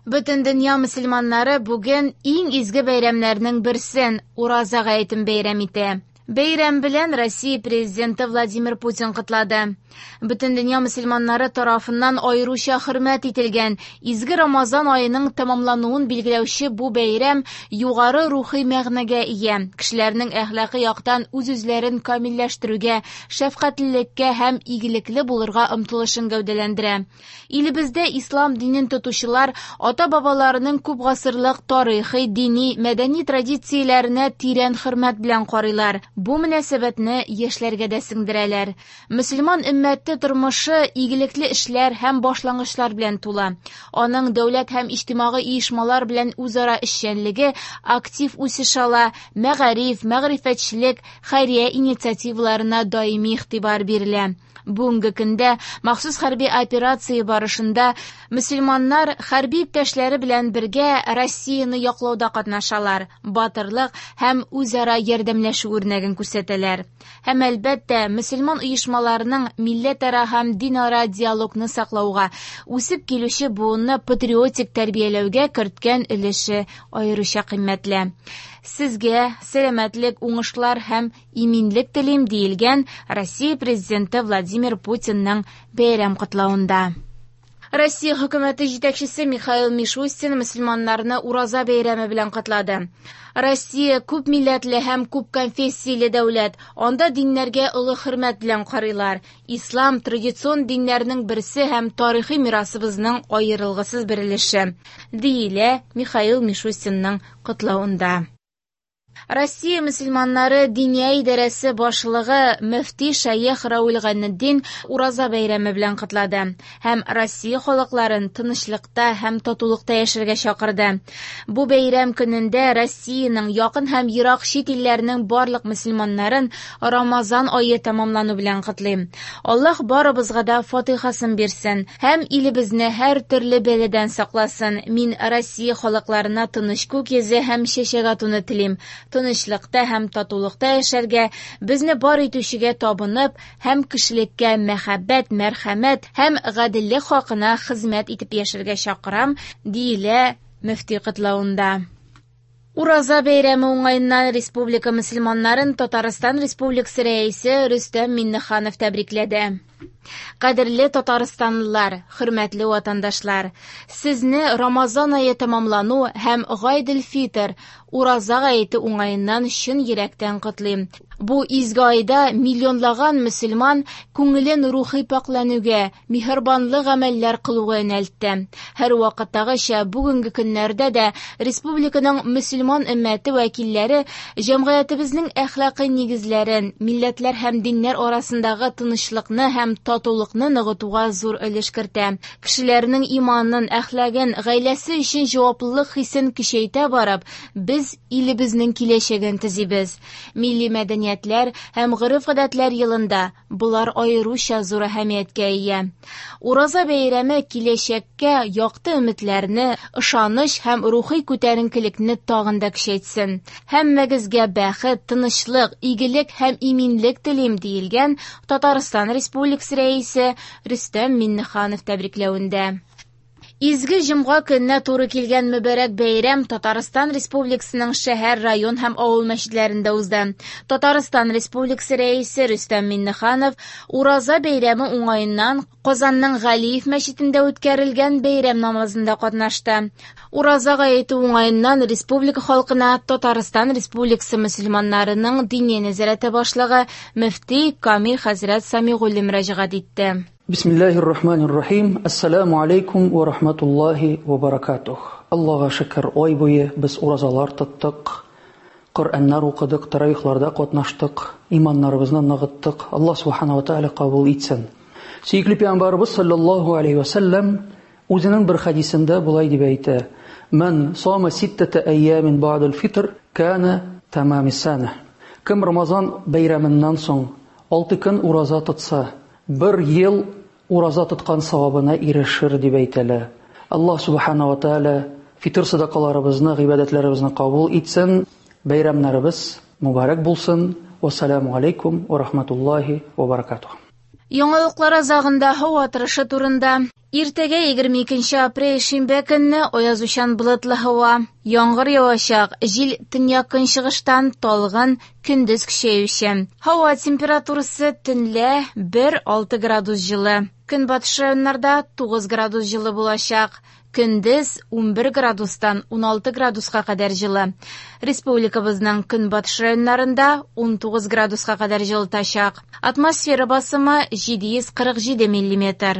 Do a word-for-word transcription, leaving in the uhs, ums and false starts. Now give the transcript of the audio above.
Бөтен дөнья мөселманнары бүген иң изге бәйрәмнәрнең берсен – Ураза гаетен бәйрәм итә. Бәйрәм белән Россия Президенты Владимир Путин котлады. Бөтен дөнья мөселманнары тарафыннан аеруча хөрмәт ителгән изге Рамазан аеның тәмамлануын билгеләүче бу бәйрәм югары рухи мәгънәгә ия. Кешеләрнең әхлакый яктан үз-үзләрен камилләштерүгә, шәфкатьлелеккә һәм игелекле булырга омтылышын гәүдәләндерә. Илебездә ислам динен тотучылар ата-бабаларының күп гасырлык тарихи, дини, мәдәни традицияләренә тирән хөрмәт белән карыйлар. Бу мөнәсәбәтне яшьләргә дә сеңдерәләр. Мөселман өммәте тормышы игелекле эшләр һәм башлангычлар белән тула. Аның дәүләт һәм иҗтимагый оешмалар белән үзара эшчәнлеге актив үсеш ала, мәгариф, мәгърифәтчелек, хәйрия инициативаларына даими игътибар бирелә. Бүгенге көндә махсус хәрби операция барышында мөселманнар хәрби иптәшләре белән бергә Россияне яклауда катнашалар, батырлык һәм үзара ярдәмләшү үрнәген күрсәтәләр. Һәм әлбәттә, мөселман оешмаларының милләтара һәм динара диалогны саклауга, үсеп килүче буынны патриотик тәрбияләүгә керткән өлеше аеруча кыйммәтле. Сезгә сәламәтлек, уңышлар һәм иминлек телим, диелгән Россия Президенты Владимир Путинның бәйрәм котлавында. Россия хөкүмәте җитәкчесе Михаил Мишустин мөселманнарны Ураза бәйрәме белән котлады. Россия күп милләтле һәм күп конфессияле дәүләт. Анда диннәргә олы хөрмәт белән карыйлар. Ислам традицион диннәрнең берсе һәм тарихи мирасыбызның аерылгысыз бер өлеше, диелә Михаил Мишустинның котлавында. Россия мөселманнары Диния идарәсе башлыгы мөфти шәех Равил Гайнетдин Ураза бәйрәме белән котлады һәм Россия халыкларын тынычлыкта һәм татулыкта яшәргә чакырды. Бу бәйрәм көнендә Россиянең якын һәм ерак чит илләренең барлык мөселманнарын Рамазан ае тәмамлану белән котлыйм. Аллаһ барыбызга да фатихасын бирсен һәм илебезне һәр төрле бәладән сакласын. Мин Россия халыкларына тыныч күк йөзе һәм чәчәк атуны телим. Тынычлыкта һәм татулыкта яшәргә, безне бар итүчегә табынып һәм кешелеккә мәхәббәт, мәрхәмәт һәм гаделлек хакына хезмәт итеп яшәргә чакырам, диелә мөфти котлавында. Ураза бәйрәме уңаеннан республика мөселманнарын Татарстан Республикасы рәисе Рөстәм Миңнеханов тәбрикләде. Кадерле татарстанлылар, хөрмәтле ватандашлар, сезне Рамазан ае тәмамлану һәм Гайд-эль-Фитр, Ураза гаете уңаеннан чын йөрәктән котлыйм. Бу изге айда миллионлаган мөселман күңелен рухи пакьләнүгә, миһербанлы гамәлләр кылуга юнәлтте. Һәр вакыттагыча бүгенге көннәрдә дә республиканың мөселман өммәте вәкилләре җәмгыятебезнең әхлакый нигезләрен, милләтләр һәм диннәр арасындагы тынычлыкны һәм татулыкны ныгытуга зур өлеш кертә. Кешеләрнең иманын, әхлагын, гаиләсе өчен җаваплылык хисен көчәйтә барып, без илебезнең киләчәген төзибез. Милли мәдәниятләр һәм гореф-гадәтләр елында болар аеруча зур әһәмияткә ия. Ураза бәйрәме киләчәккә якты өметләрне, ышаныч һәм рухи күтәренкелекне тагын да көчәйтсен. Һәммәгезгә бәхет, тынычлык, игелек һәм иминлек телим, диелгән Татарстан Республикасы рәисе Рөстәм Миңнеханов тәбрикләвендә. Изге җомга көненә туры килгән мөбарәк бәйрәм Татарстан Республикасының шәһәр, район һәм авыл мәчетләрендә узды. Татарстан Республикасы рәисе Рөстәм Миңнеханов Ураза бәйрәме уңаеннан Казанның Галиев мәчетендә үткәрелгән бәйрәм намазында катнашты. Ураза гаете уңаеннан республика халкына Татарстан Республикасы мөселманнарының Диния нәзарәте башлыгы мөфти Камил хәзрәт Самигуллин мөрәҗәгать итте. Бисмиллахир рахманир рахим. Ассаламу алейкум ва рахматуллахи ва баракатух. Аллаһка шөкер, ай буе без уразалар тоттык, Коръәннәр укыдык, таравихларда катнаштык, иманнарыбызны ныгыттык. Аллаһ субхана ва тааля кабул итсен. Сөекле пәйгамбәрбез саллаллаһу алейхи ва саллям үзенең бер хәдисендә болай дип әйтә: "Ман сама ситтата айямин ба'дал фитр кана тамамис сана". Кем Рамазан бәйрәменнән соң алты көн ураза тотса, бер ел ураза тоткан савабына ирешер дип әйтелә. Аллаһ субхана ва тааля фитр садакаларыбызны, гыйбадәтләребезне кабул итсен. Бәйрәмнәребез мөбарәк булсын. Вассаламу алейкум ва рахматуллахи ва баракатух. Яңалыклар азагында һава торышы турында. Иртәгә егерме икенче апрель шимбә көнне аязучан болытлы һава. Яңгыр явачак, җил төньяк-көнчыгыштан талгын, көндез көчәючән. Һава температурасы төнлә бер-алты градус җылы. Көнбатыш районнарда тугыз градус җылы булачак. Көндез унбер градустан уналты градуска кадәр җылы. Республикабызның көнбатыш районнарында унтугыз градуска кадәр җылытачак. Атмосфера басымы җиде йөз кырык җиде миллиметр.